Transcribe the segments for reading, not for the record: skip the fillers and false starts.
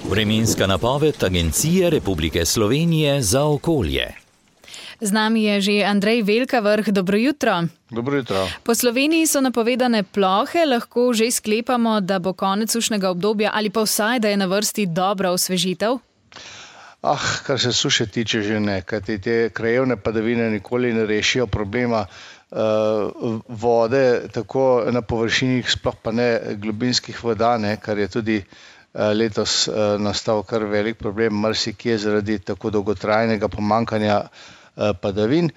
Vremenska napoved Agencije Republike Slovenije za okolje. Z nami je že Andrej Velkavrh. Dobro jutro. Dobro jutro. Po Sloveniji so napovedane plohe, lahko že sklepamo, da bo konec sušnega obdobja ali pa vsaj, da je na vrsti dobra osvežitev? Kar se suše tiče, že ne, kajti te krajevne padavine nikoli ne rešijo problema vode, tako na površinah, sploh pa ne globinskih voda, kar je tudi letos nastal kar velik problem marsikje zaradi tako dolgotrajnega pomanjkanja padavin.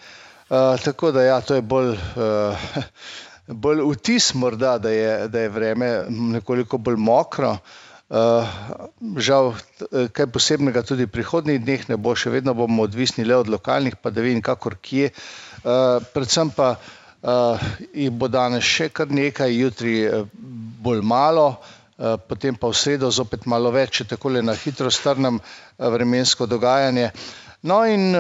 Tako da ja, to je bolj vtis morda, da je vreme nekoliko bolj mokro. Žal, kaj posebnega tudi v prihodnjih dneh ne bo, še vedno bomo odvisni le od lokalnih padavin, kakor kje. Predvsem pa jih bo danes še kar nekaj, jutri bolj malo, potem pa v sredo zopet malo več, če takole na hitro strnem vremensko dogajanje. No in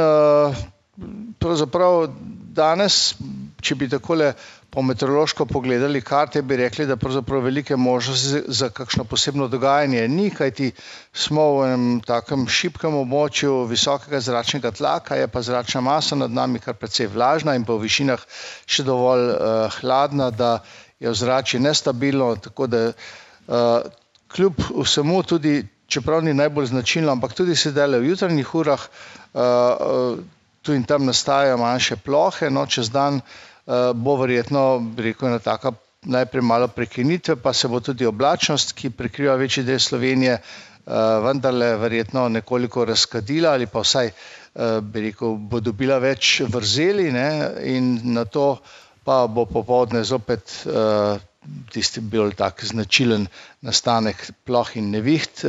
pravzaprav danes, če bi takole po meteorološko pogledali karte, bi rekli, da pravzaprav velike možnosti za kakšno posebno dogajanje ni, kajti smo v enem takem šibkem območju visokega zračnega tlaka, je pa zračna masa nad nami kar precej vlažna in pa v višinah še dovolj hladna, da je ozračje nestabilno, tako da kljub vsemu tudi, čeprav ni najbolj značilno, ampak tudi sedaj v jutranjih urah tu in tam nastajajo manjše plohe, no, čez dan bo verjetno, bi rekel, ena taka najprej malo prekinitve, pa se bo tudi oblačnost, ki prekriva večji del Slovenije, vendarle verjetno nekoliko razkadila ali pa vsaj, bi rekel, bo dobila več vrzeli, in nato pa bo popoldne zopet tisti bolj tak značilen nastanek ploh in neviht.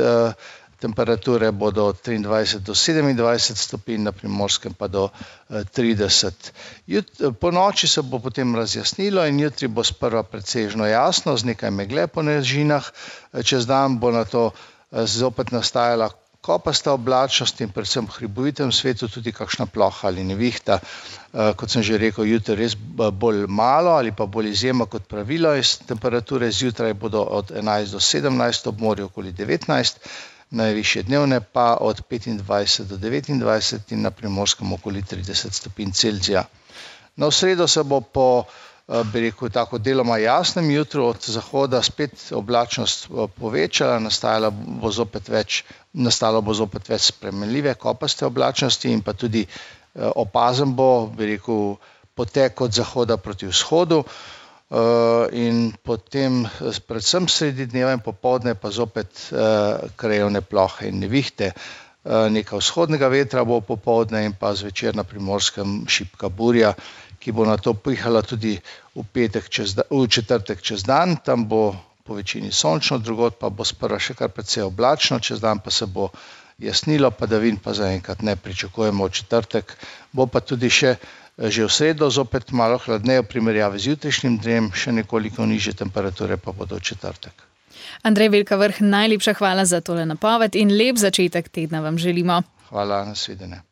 Temperature bodo od 23 do 27 stopinj, na Primorskem pa do 30. Po noči se bo potem razjasnilo in jutri bo sprva precejšnjo jasno, z nekaj megle po nižinah. Čez dan bo nato zopet nastajala kopasta oblačnost in predvsem v hribovitem svetu tudi kakšna ploha ali nevihta. Kot sem že rekel, jutri res bolj malo ali pa bolj izjema kot pravilo. Temperature zjutraj bodo od 11 do 17, ob morju okoli 19, najvišje dnevne pa od 25 do 29 in na Primorskem okoli 30 stopinj Celzija. Na sredo se bo po, bi rekel, tako deloma jasnem jutru od zahoda spet oblačnost povečala, nastalo bo zopet več spremenljive kopaste oblačnosti in pa tudi opazen bo, bi rekel, potek od zahoda proti vzhodu. In potem predvsem sredi dneva in popoldne pa zopet krajevne plohe in nevihte. Nekaj vzhodnega vetra bo popoldne in pa zvečer na Primorskem šibka burja, ki bo nato pihala tudi v četrtek čez dan. Tam bo po večini sončno, drugod pa bo sprva še kar precej oblačno, čez dan pa se bo jasnilo, padavin pa zaenkrat ne pričakujemo v četrtek. Bo pa tudi že v sredo zopet malo hladneje v primerjavi z jutrišnjim dnem, še nekoliko nižje temperature pa bodo v četrtek. Andrej Velkavrh, najlepša hvala za tole napoved in lep začetek tedna vam želimo. Hvala, nasvidenje.